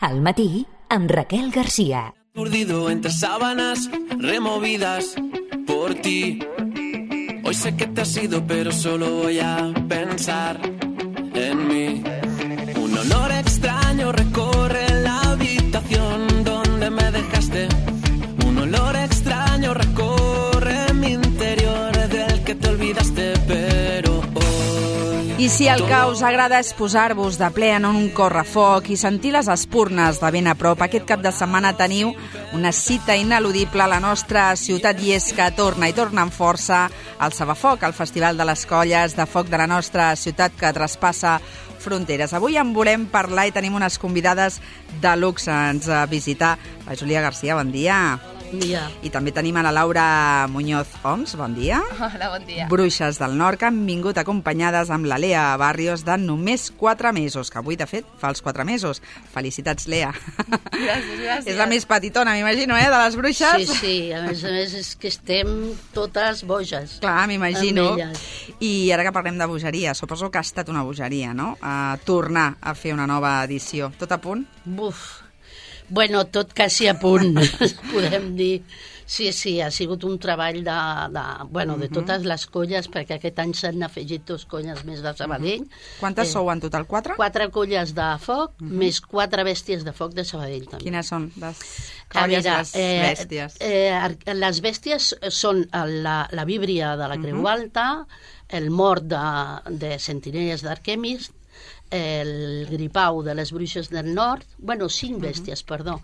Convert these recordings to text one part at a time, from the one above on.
Al matí, amb Raquel García. Urdido entre sábanas removidas por ti. Hoy sé que te has ido, pero solo voy a pensar en mí. Un olor extraño recorre la habitación donde me dejaste. Un olor extraño recorre mi interior del que te olvidaste, pero hoy... I si el que us agrada és posar-vos de ple en un correfoc i sentir les espurnes de ben a prop, aquest cap de setmana teniu una cita ineludible a la nostra ciutat i és que torna i torna amb força el Sabafoc, el Festival de les Colles de Foc de la nostra ciutat que traspassa fronteres. Avui en volem parlar i tenim unes convidades de luxe. Ens visita la Júlia García, bon dia. Bon dia. I també tenim a la Laura Muñoz Oms, bon dia. Hola, bon dia. Bruixes del Nord, que han vingut acompanyades amb la Lea Barrios de només 4 mesos, que avui, de fet, fa els 4 mesos. Felicitats, Lea. Gràcies. És la més petitona, m'imagino, de les bruixes? Sí, a més és que estem totes boges. Clar, m'imagino. I ara que parlem de bogeria, suposo que ha estat una bogeria, no? Tornar a fer una nova edició. Tot a punt? Buf. Bueno, tot quasi a punt, podem dir. Sí, ha sigut un treball de totes les colles, perquè aquest any s'han afegit 2 colles més de Sabadell. Quantes sou en total? 4? 4 colles de foc, més 4 bèsties de foc de Sabadell, també. Quines són les colles, les bèsties? Les bèsties són la víbria de la Creu Alta, el mort de Sentinelles d'Arquemis, el gripau de les Bruixes del Nord, 5 bèsties, perdó,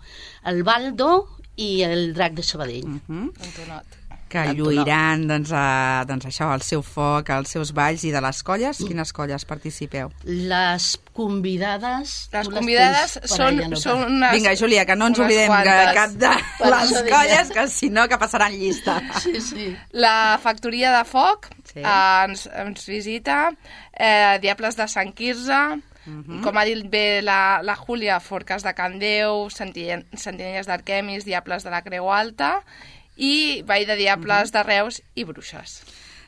el Baldo i el drac de Sabadell. Antonot. Que lluiran, doncs això, el seu foc, els seus balls. I de les colles, quines colles participeu? Les convidades... Les convidades són unes... Vinga, Júlia, que no ens oblidem cap de les colles, que si no, que passaran llista. Sí. La Factoria de Foc ens visita, Diables de Sant Quirze, com ha dit bé la Júlia, Forques de Can Déu, Sentinelles d'Arquemis, Diables de la Creu Alta i Vall de Diables de Reus i Bruixes.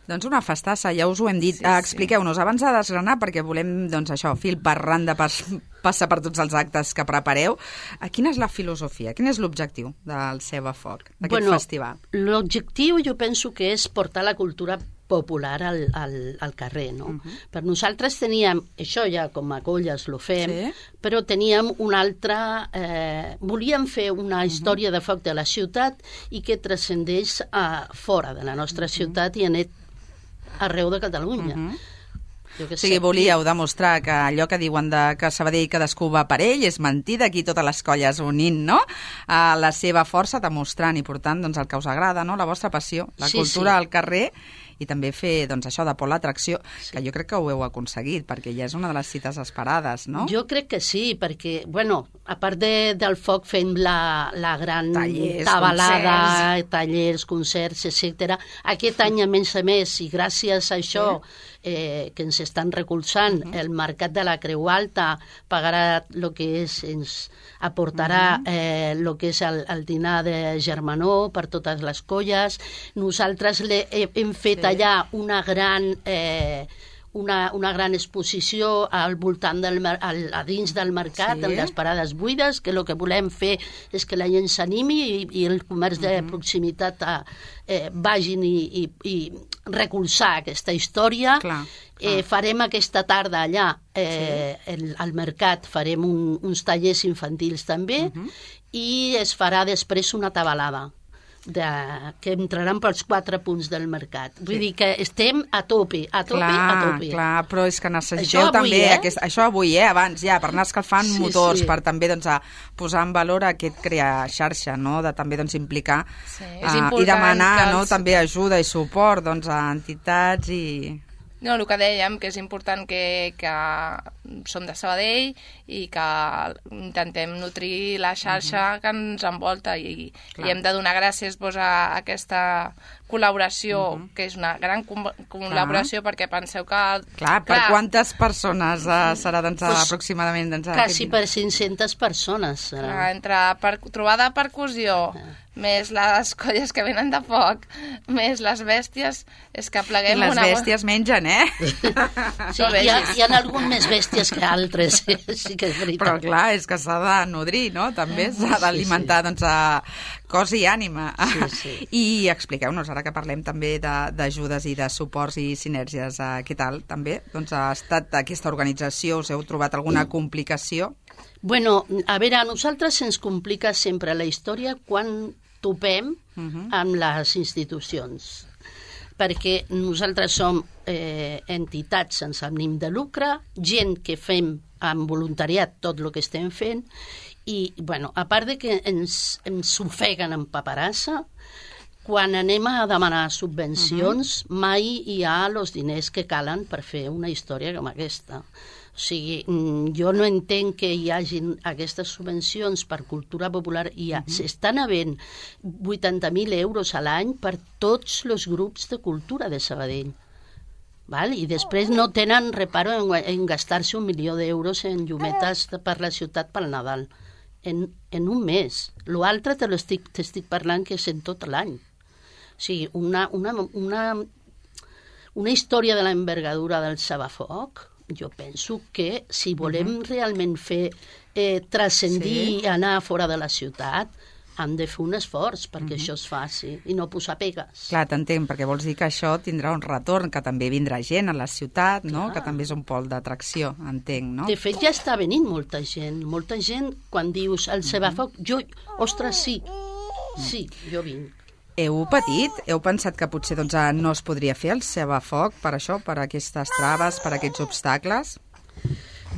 Doncs una festassa, ja us ho hem dit. Expliqueu-nos, abans de desgranar, perquè volem, fil per randa, passar per tots els actes que prepareu. Quina és la filosofia, quin és l'objectiu del Sabafoc, d'aquest festival? L'objectiu jo penso que és portar la cultura popular al carrer, no? Per nosaltres teníem, això ja com a colles lo fem, però teníem una altra... volíem fer una història de foc de la ciutat i que transcendeix fora de la nostra ciutat i arreu de Catalunya. O sigui, volíeu demostrar que allò que diuen que Sabadell cadascú va per ell és mentida, aquí totes les colles unint, no? La seva força, demostrant i portant el que us agrada, no? La vostra passió, la cultura al carrer i també fer això de por l'atracció, que jo crec que ho heu aconseguit, perquè ja és una de les cites esperades, no? Jo crec que sí, perquè, a part del foc fem la gran tabalada, tallers, concerts, etc. Aquest any, a més, i gràcies a això que ens estan recolzant, el Mercat de la Creu Alta pagarà el que és, ens aportarà el que és el dinar de germanor per totes les colles. Nosaltres hem fet allà una gran exposició al voltant a dins del mercat, en les parades buides, que el que volem fer és que la gent s'animi i el comerç de proximitat vagin i recolzar aquesta història. Farem aquesta tarda allà al mercat, farem uns tallers infantils també i es farà després una tabalada que entraran pels 4 punts del mercat. Vull dir que estem a tope. Clar, però és que necessiteu també això avui, abans ja, per anar escalfant motors, per també posar en valor aquest crear xarxa, no? De també implicar i demanar també ajuda i suport a entitats i... No, el que dèiem, que és important que som de Sabadell i que intentem nutrir la xarxa que ens envolta i hem de donar gràcies a aquesta col·laboració, que és una gran col·laboració, perquè penseu que... Per quantes persones serà aproximadament? Quasi per 500 persones. Entre trobada de percussió, més les colles que venen de foc, més les bèsties, és que pleguem les una... bèsties mengen, Sí, hi ha alguns més bèsties que altres, sí que és veritat. Però clar, és que s'ha de nodrir, no? També s'ha d'alimentar doncs, a cos i ànima. Sí. I expliqueu-nos, ara que parlem també d'ajudes i de suports i sinergies, què tal també? Doncs ha estat aquesta organització, us heu trobat alguna complicació? Bueno, a veure, a nosaltres se'ns complica sempre la història quan topem amb les institucions, perquè nosaltres som entitats sense ànim de lucre, gent que fem amb voluntariat tot el que estem fent, i, bueno, a part de que ens ofeguen en paperassa, quan anem a demanar subvencions, mai hi ha els diners que calen per fer una història com aquesta. O sigui, jo no entenc que hi hagin aquestes subvencions per cultura popular i s'estan havent 80.000 euros a l'any per tots els grups de cultura de Sabadell. Val? I després no tenen reparo en gastar-se 1 milió d'euros en llumetes per la ciutat pel Nadal. En un mes. L'altre t'estic parlant que és en tot l'any. O sigui, una història de l'envergadura del Sabafoc, jo penso que si volem realment fer transcendir i anar fora de la ciutat, han de fer un esforç perquè això es faci i no posar pegues. Clar, t'entenc, perquè vols dir que això tindrà un retorn, que també vindrà gent a la ciutat, no? Que també és un pol d'atracció, entenc, no? De fet, ja està venint molta gent, quan dius el Sabafoc, ostres, sí, jo vinc. Heu patit? Heu pensat que potser doncs, no es podria fer el Sabafoc per això, per aquestes traves, per aquests obstacles?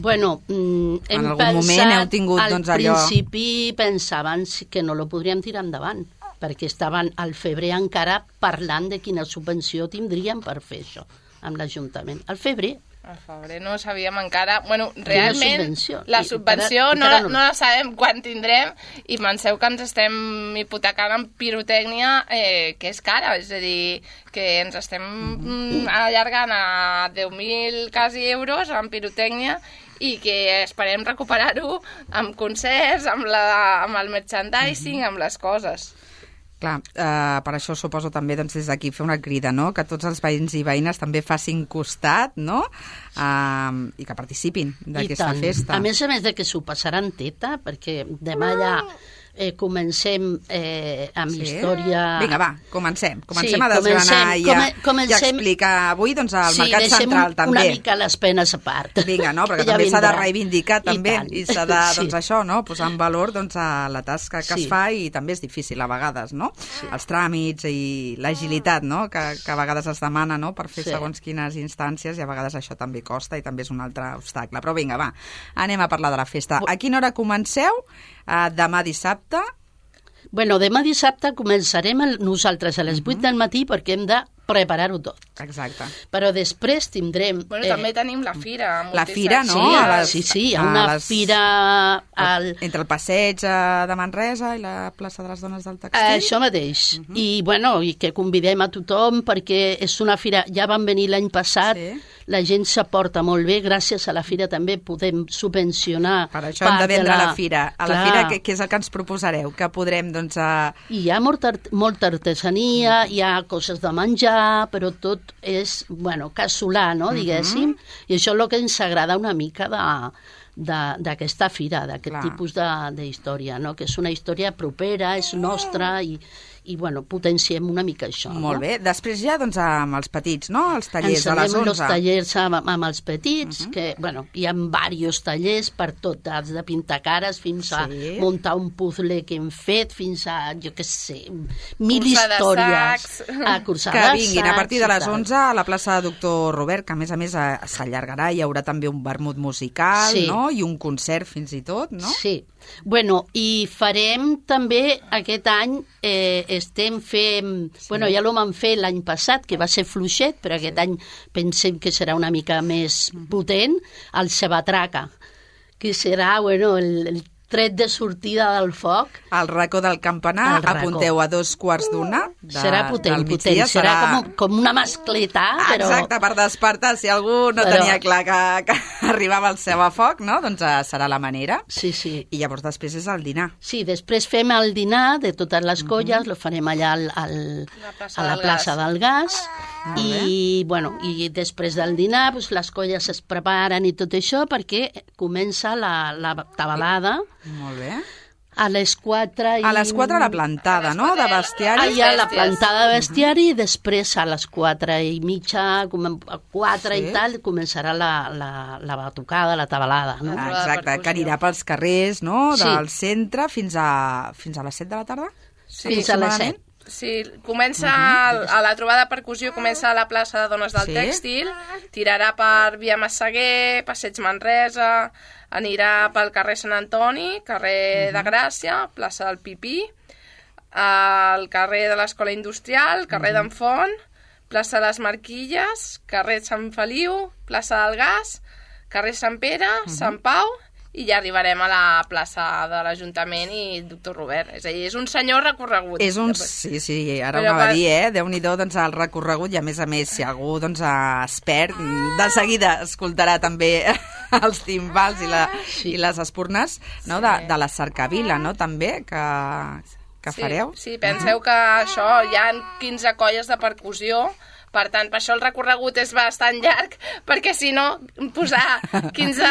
Bueno, en algun moment heu tingut doncs, allò... Al principi pensaven que no lo podríem tirar endavant, perquè estaven al febrer encara parlant de quina subvenció tindríem per fer això amb l'Ajuntament. Al febrer. Al febrer no sabíem encara... Bueno, realment, la subvenció no la sabem quan tindrem i penseu que ens estem hipotecant en pirotècnia que és cara, és a dir, que ens estem allargant a 10.000 quasi euros en pirotècnia i que esperem recuperar-ho amb concerts, amb el merchandising, amb les coses. Clar, per això suposo també doncs, des d'aquí fer una crida, no? Que tots els veïns i veïnes també facin costat, no? I que participin d'aquesta festa. A més de que s'ho passaran teta, perquè demà ja comencem amb història... Vinga, va, comencem a desgranar i a explicar avui doncs, al Mercat Central també. Una mica les penes a part. Vinga, no? Perquè també s'ha de reivindicar també i s'ha de, doncs això, no? Posar en valor doncs, la tasca que es fa i també és difícil a vegades, no? Els tràmits i l'agilitat, no? Que a vegades es demana, no? Per fer segons quines instàncies i a vegades això també costa i també és un altre obstacle. Però vinga, va, anem a parlar de la festa. A quina hora comenceu? Demà dissabte? Bueno, demà dissabte començarem nosaltres a les 8 del matí perquè hem de preparar-ho tot. Exacte. Però després tindrem... Bueno, també tenim la fira. La fira, no? Sí, hi ha una fira... Entre el passeig de Manresa i la plaça de les Dones del Tèxtil. Això mateix. I, bueno, i que convidem a tothom perquè és una fira... Ja van venir l'any passat, la gent s'aporta molt bé, gràcies a la fira també podem subvencionar... Per això hem de vendre la fira. A la fira, què és el que ens proposareu? Que podrem, doncs... Hi ha molta artesania, hi ha coses de menjar, però tot és, bueno, casolà, no?, diguéssim, i això és el que ens agrada una mica d'aquesta fira, d'aquest tipus d'història, no?, que és una història propera, és nostra i bueno, potenciem una mica això. Molt bé. Després ja, doncs, amb els petits, no?, els tallers a les 11. Els tallers amb els petits, que, bueno, hi ha diversos tallers per tot, des de pintar cares fins a muntar un puzzle que hem fet, fins a, jo què sé, 1.000 històries. Que vinguin a partir de les 11 a la plaça de Doctor Robert, que a més s'allargarà, hi haurà també un vermut musical, no?, i un concert fins i tot, no? Sí. Bueno, i farem també aquest any, estem fent... Bueno, ja l'ho vam fer l'any passat, que va ser fluixet, però aquest any pensem que serà una mica més potent, el Sabatraca, que serà, bueno, el tret de sortida del foc. El racó del campanar, apunteu a 2:15 serà potent, serà com una mascleta, però... Exacte, per despertar, si algú no tenia clar que arribava el seu a foc, no? Doncs serà la manera. Sí. I llavors després és el dinar. Sí, després fem el dinar de totes les colles, lo farem allà a la plaça del Gas, i després del dinar les colles es preparen i tot això perquè comença la tabalada. Molt bé. A les 4... A les 4 la plantada, no?, de bestiari. Hi ha la plantada de bestiari i després a les 4:30, a 4 i tal, començarà la batucada, la tabalada, no? Exacte, que anirà pels carrers, no?, del centre fins a les 7 de la tarda? Sí, fins a les 7. Sí, comença a la trobada de percussió, comença a la plaça de Dones del Tèxtil, tirarà per Via Massaguer, Passeig Manresa, anirà pel carrer Sant Antoni, carrer de Gràcia, plaça del Pipí, al carrer de l'Escola Industrial, carrer d'en Font, plaça de les Marquilles, carrer Sant Feliu, plaça del Gas, carrer Sant Pere, Sant Pau, i ja arribarem a la plaça de l'Ajuntament i Doctor Robert. És a dir, és un senyor recorregut. Sí, ara ho va dir, Déu-n'hi-do, doncs, el recorregut, i a més, si algú expert, de seguida escoltarà també els timbals i les espurnes, no?, de la cercavila, no?, també, que fareu. Sí, penseu que això, hi ha 15 colles de percussió. Per tant, per això el recorregut és bastant llarg, perquè si no, posar 15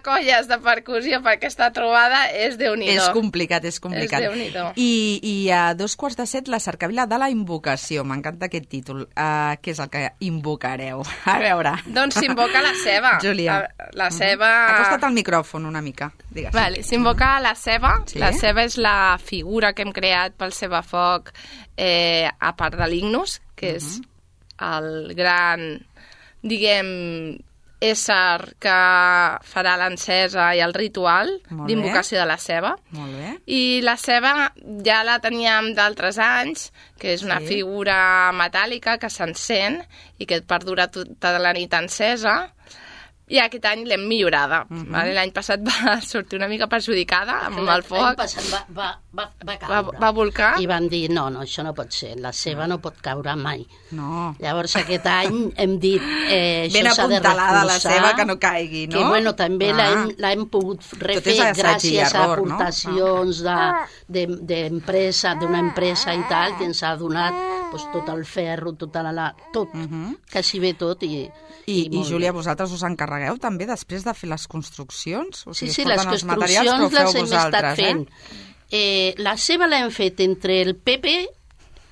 colles de percussió per aquesta trobada és Déu-n'hi-do. És complicat. És Déu-n'hi-do. I a 6:45 la cercavila de la invocació. M'encanta aquest títol. Què és el que invocareu? A veure. Doncs s'invoca la ceba. Júlia. La ceba... Acosta't al micròfon una mica, digues. Vale, s'invoca la ceba. Sí? La ceba és la figura que hem creat pel Cebafoc, a part de l'Ignus, que és el gran, diguem, ésser que farà l'encesa i el ritual d'invocació de la ceba. Molt bé. I la ceba ja la teníem d'altres anys, que és una figura metàl·lica que s'encén i que perdura tota la nit encesa. I aquest any l'hem millorada. L'any passat va sortir una mica perjudicada amb el foc. L'any passat va caure. Va volcar. I van dir, no, això no pot ser, la ceba no pot caure mai. No. Llavors aquest any hem dit, això ben s'ha de apuntalada reforçar. La ceba que no caigui, no? Que, bueno, també l'hem pogut refer gràcies a aportacions d'empresa, d'una empresa i tal, que ens ha donat tot el ferro, tot, quasi bé tot. I Júlia, vosaltres us encarregueu també després de fer les construccions? O sigui, sí, les construccions les hem estat fent. La ceba l'hem fet entre el Pepe,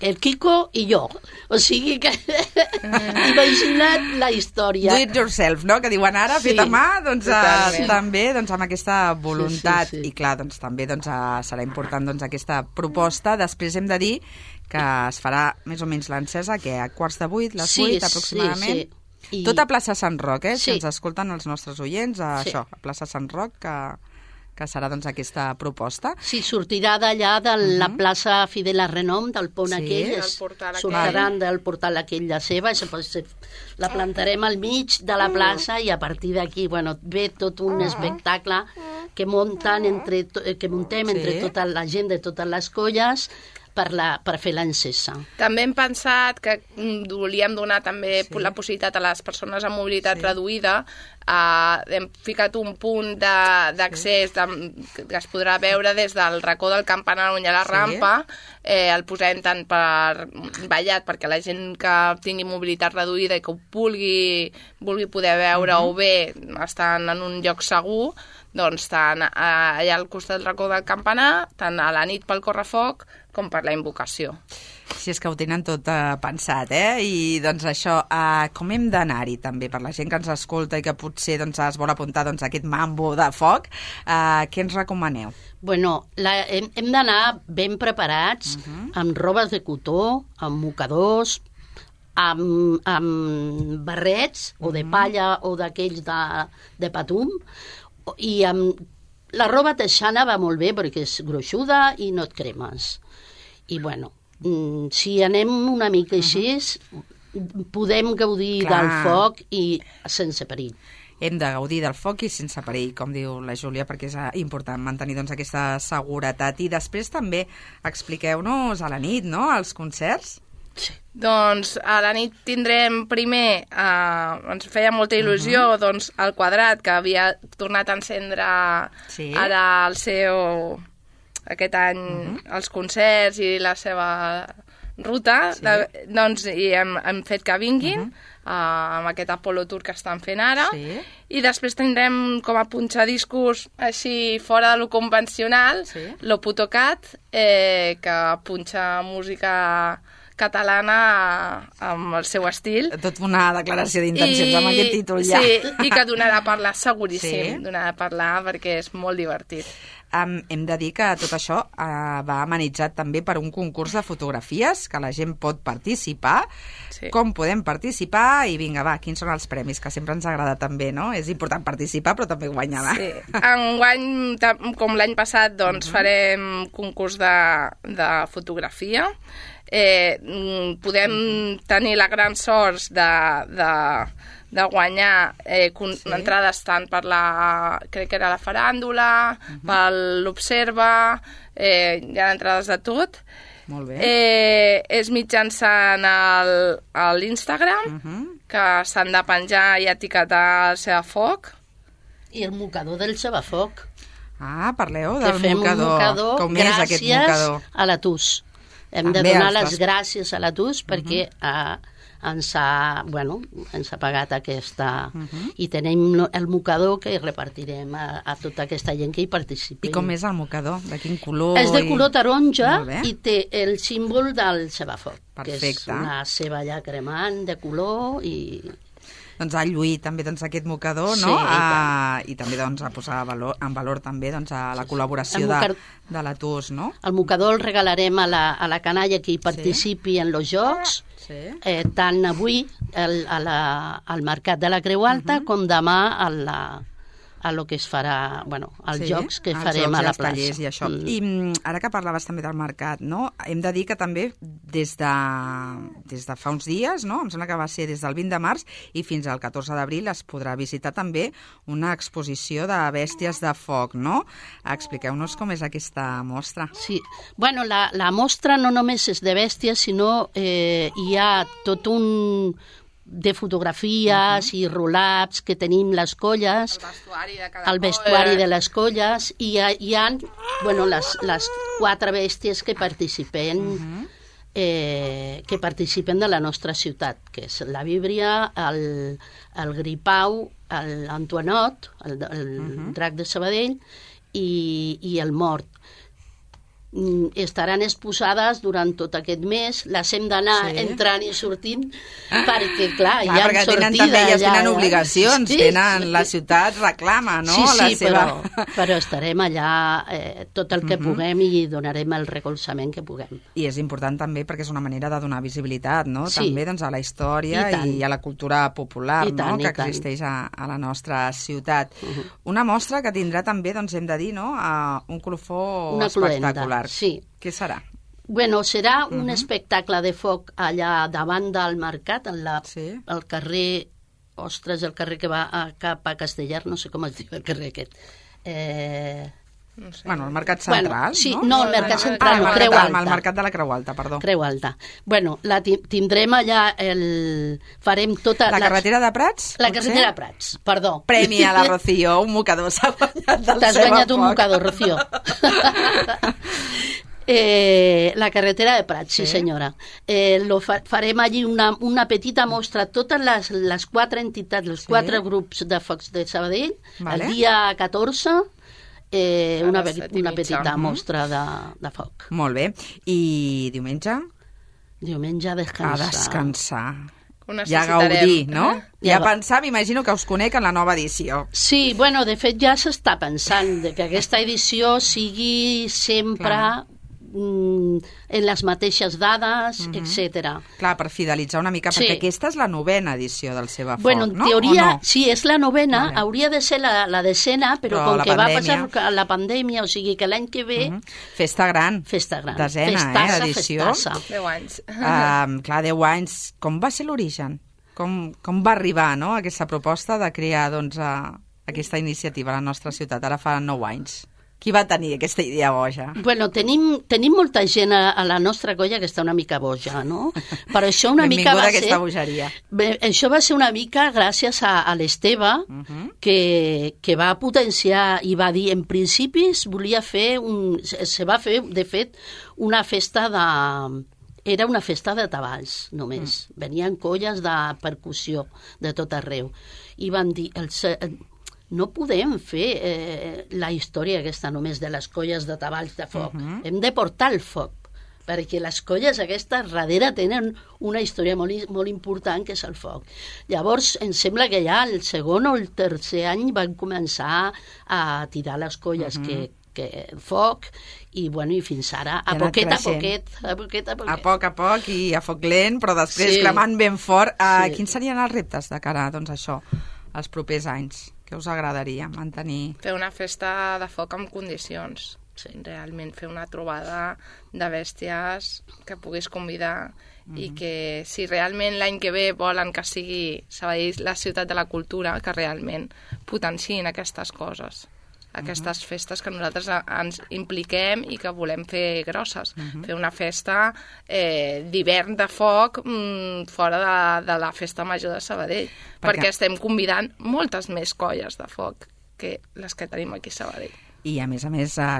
el Kiko i jo. O sigui que imagina't la història. Do it yourself, no? Que diuen ara, fet a mà, doncs també amb aquesta voluntat. I clar, doncs també serà important aquesta proposta. Després hem de dir que es farà més o menys l'encesa, que a 7:45, les 8 aproximadament. Tot a plaça Sant Roc, si ens escolten els nostres oients, això, a plaça Sant Roc, que serà aquesta proposta. Sí, sortirà d'allà de la plaça Fidel Renom, del pont aquell, sortiran del portal aquell de ceba, la plantarem al mig de la plaça i a partir d'aquí, ve tot un espectacle que montem entre tota la gent de totes les colles per fer l'encesa. També hem pensat que volíem donar també la possibilitat a les persones amb mobilitat reduïda. Hem ficat un punt d'accés que es podrà veure des del racó del campanar on hi ha la rampa. El posem tant per vallat perquè la gent que tingui mobilitat reduïda i que ho vulgui poder veure o bé estan en un lloc segur, doncs tant allà al costat del racó del campanar, tant a la nit pel correfoc com per la invocació. Si és que ho tenen tot pensat, I doncs això, com hem d'anar-hi també per la gent que ens escolta i que potser es vol apuntar a aquest mambo de foc, què ens recomaneu? Bueno, hem d'anar ben preparats, amb robes de cotó, amb mocadors, amb barrets o de palla o d'aquells de patum, i amb la roba teixana va molt bé perquè és gruixuda i no et cremes. I bueno, si anem una mica així, podem gaudir del foc i sense perill. hem de gaudir del foc i sense perill, com diu la Júlia, perquè és important mantenir doncs, aquesta seguretat. I després també expliqueu-nos a la nit, no?, els concerts. Sí. Doncs a la nit tindrem primer, ens feia molta il·lusió, doncs el Quadrat, que havia tornat a encendre ara el seu, aquest any, els concerts i la seva ruta, doncs i hem fet que vinguin amb aquest Apollo Tour que estan fent ara, i després tindrem com a punxadiscos així fora de lo convencional, lo Putocat, que punxa música catalana amb el seu estil. Tot una declaració d'intencions amb aquest títol ja. Sí, i que donarà a parlar seguríssim, donarà a parlar perquè és molt divertit. Hem de dir que tot això va amenitzat també per un concurs de fotografies, que la gent pot participar. Com podem participar? I vinga, va, quins són els premis? Que sempre ens agrada també, no? És important participar, però també guanyar. Sí. Enguany, com l'any passat, doncs farem concurs de fotografia. Podem tenir la gran sort de guanyar entrades tant per crec que era la faràndula, per l'Observa, hi ha entrades de tot. Molt bé. És mitjançant l'Instagram, que s'han de penjar i etiquetar el Sebafoc. I el mocador del Sebafoc. Parleu del mocador. Que fem un mocador com és aquest mocador? Gràcies a la TUS. Hem de donar les gràcies a la TUS perquè ens ha pagat aquesta... I tenim el mocador que repartirem a tota aquesta gent que hi participi. I com és el mocador? De quin color? És de color taronja i té el símbol del Sebafoc, que és una ceba ja cremant de color i... Doncs a lluir també aquest mocador, no? I també a posar en valor també la col·laboració de la TUS, no? El mocador el regalarem a la canalla que hi participi en els jocs, tant avui al Mercat de la Creu Alta com demà a lo que es farà, als jocs que farem a la plaça. I això. I ara que parlaves també del mercat, no? Hem de dir que també des de fa uns dies, no? Em sembla que va ser des del 20 de març i fins al 14 d'abril es podrà visitar també una exposició de bèsties de foc, no? Expliqueu-nos com és aquesta mostra. Sí. La mostra no només és de bèsties, sinó hi ha tot un de fotografies i roll-ups que tenim les colles, el vestuari de les colles, i hi ha les 4 bèsties que participen de la nostra ciutat, que és la Víbria, el Gripau, l'Antoinot, el drac de Sabadell, i el Mort. Estaran exposades durant tot aquest mes, les hem d'anar entrant i sortint perquè, clar, hi ha sortida. Elles tenen obligacions, la ciutat reclama, no? Però estarem allà tot el que puguem i donarem el recolzament que puguem. I és important també perquè és una manera de donar visibilitat, no? També a la història i a la cultura popular que existeix a la nostra ciutat. Una mostra que tindrà també, hem de dir, un colofó espectacular. Sí. Què serà? Serà un espectacle de foc allà davant del mercat, al carrer... Ostres, el carrer que va cap a Castellar, no sé com es diu el carrer aquest. No sé. El mercat central, sí, no? El mercat central, no, Creu Alta. El mercat de la Creu Alta, perdó. Creu Alta. La tindrem allà, farem tota... La carretera de Prats? La carretera de Prats, perdó. Premi a la Rocío, un mocador s'ha guanyat del T'has guanyat un mocador, Rocío. La carretera de Prats, sí senyora. Farem allí una petita mostra, totes les 4 entitats, els 4 grups de focs de Sabadell, el dia 14, una petita mostra de foc. Molt bé. I diumenge? Diumenge a descansar. A descansar. Ja gaudir, no? Ja pensar, m'imagino que us conec en la nova edició. Sí, de fet ja s'està pensant que aquesta edició sigui sempre... en les mateixes dades, etc. Clar, per fidelitzar una mica, perquè aquesta és la 9ª edició del Sebafoc, no? En teoria, sí, és la 9ª, hauria de ser la 10ª, però com que va passar la pandèmia, o sigui que l'any que ve... Festa gran. Festa gran. 10ª edició. Festassa. 10 anys. Clar, 10 anys. Com va ser l'origen? com va arribar, no?, aquesta proposta de crear doncs, aquesta iniciativa a la nostra ciutat, ara fa 9 anys. Qui va tenir aquesta idea boja? Bueno, tenim molta gent a la nostra colla que està una mica boja, no? Però això una mica va ser... aquesta bogeria. Això va ser una mica gràcies a l'Esteve, que va potenciar i va dir, en principi volia fer se va fer, de fet, una festa de... Era una festa de tabals, només. Venien colles de percussió de tot arreu. I van dir... No podem fer la història aquesta només de les colles de tabals de foc. Hem de portar el foc, perquè les colles aquestes darrere tenen una història molt important, que és el foc. Llavors, em sembla que ja el segon o el tercer any van començar a tirar les colles que foc, i fins ara, a poquet a poc i a foc lent, però després cremant ben fort. Quins serien els reptes de cara doncs, a això, els propers anys? Què us agradaria mantenir? Fer una festa de foc amb condicions. Realment fer una trobada de bèsties que puguis convidar i que si realment l'any que ve volen que sigui Sabadell la ciutat de la cultura, que realment potenciïn aquestes coses. Aquestes festes que nosaltres ens impliquem i que volem fer grosses. Fer una festa d'hivern de foc fora de la festa major de Sabadell, perquè estem convidant moltes més colles de foc que les que tenim aquí a Sabadell. I, a més,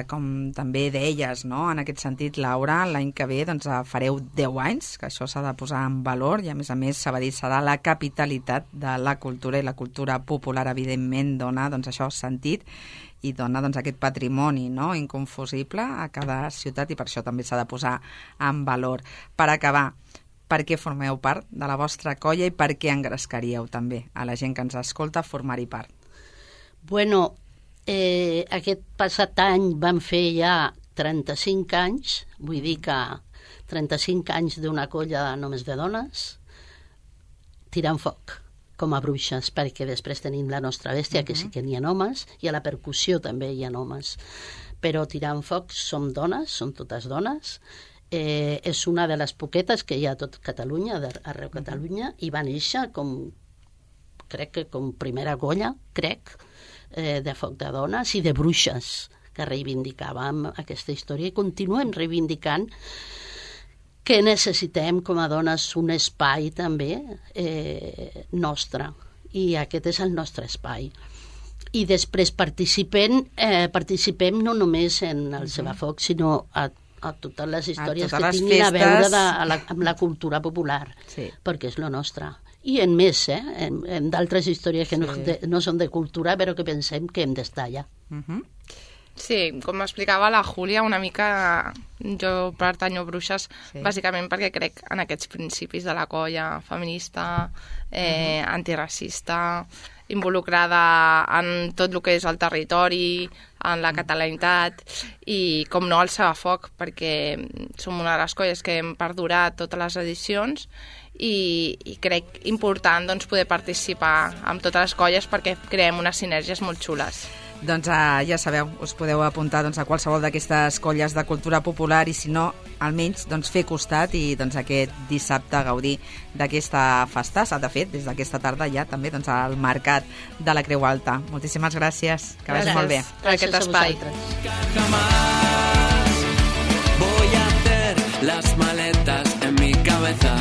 com també deies, no? En aquest sentit, Laura, l'any que ve doncs, fareu 10 anys, que això s'ha de posar en valor, i, a més, Sabadell serà la capitalitat de la cultura, i la cultura popular, evidentment, dona doncs, això sentit i dona doncs, aquest patrimoni, no?, inconfusible a cada ciutat, i per això també s'ha de posar en valor. Per acabar, per què formeu part de la vostra colla i per què engrescaríeu també a la gent que ens escolta formar-hi part? Bueno, aquest passat any vam fer ja 35 anys, vull dir que 35 anys d'una colla només de dones, tirant foc, com a bruixes, perquè després tenim la nostra bèstia, que sí que n'hi ha homes, i a la percussió també hi ha homes. Però tirant foc som dones, som totes dones, és una de les poquetes que hi ha a tot Catalunya, arreu Catalunya, i va néixer crec que com primera colla, de foc de dones i de bruixes, que reivindicàvem aquesta història i continuem reivindicant que necessitem com a dones un espai també nostre, i aquest és el nostre espai. I després participem no només en el Sebafoc, sinó a totes les històries que tinguin a veure amb la cultura popular, perquè és lo nostre. I en més, en d'altres històries que no són de cultura, però que pensem que hem d'estar allà. Sí, com explicava la Júlia, una mica jo pertanyo a Bruixes bàsicament perquè crec en aquests principis de la colla feminista, antiracista, involucrada en tot el que és el territori, en la catalanitat i, com no, el Sebafoc, perquè som una de les colles que hem perdurat totes les edicions i crec important doncs, poder participar amb totes les colles perquè creem unes sinergies molt xules. Doncs ja sabeu, us podeu apuntar doncs, a qualsevol d'aquestes colles de cultura popular i si no, almenys doncs, fer costat i doncs, aquest dissabte gaudir d'aquesta festassa. De fet, des d'aquesta tarda ja també doncs, al Mercat de la Creu Alta. Moltíssimes gràcies, que vagi molt bé. Aquest espai. Voy a hacer las maletas en mi cabeza.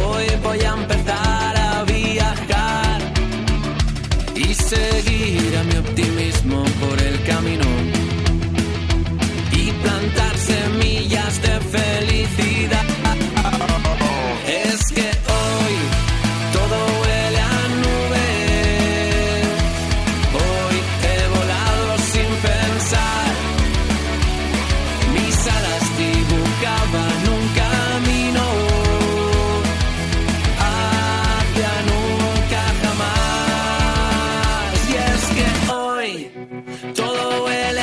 Hoy voy a empezar a viajar y seguir a mi optimismo por el camino y plantar semillas de felicidad. Es que hoy todo huele a nubes. Hoy he volado sin pensar. Mis alas dibujaban un camino hacia nunca jamás. Y es que hoy todo huele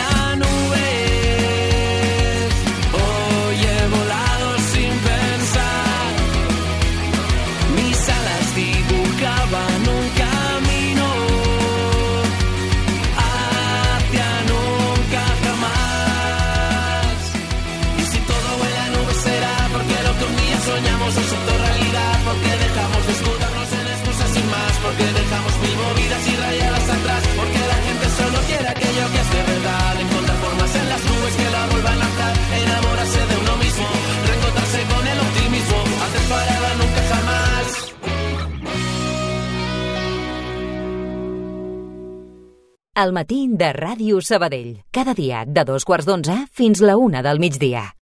El matí de Ràdio Sabadell. Cada dia de 2:15 fins la 1 del migdia.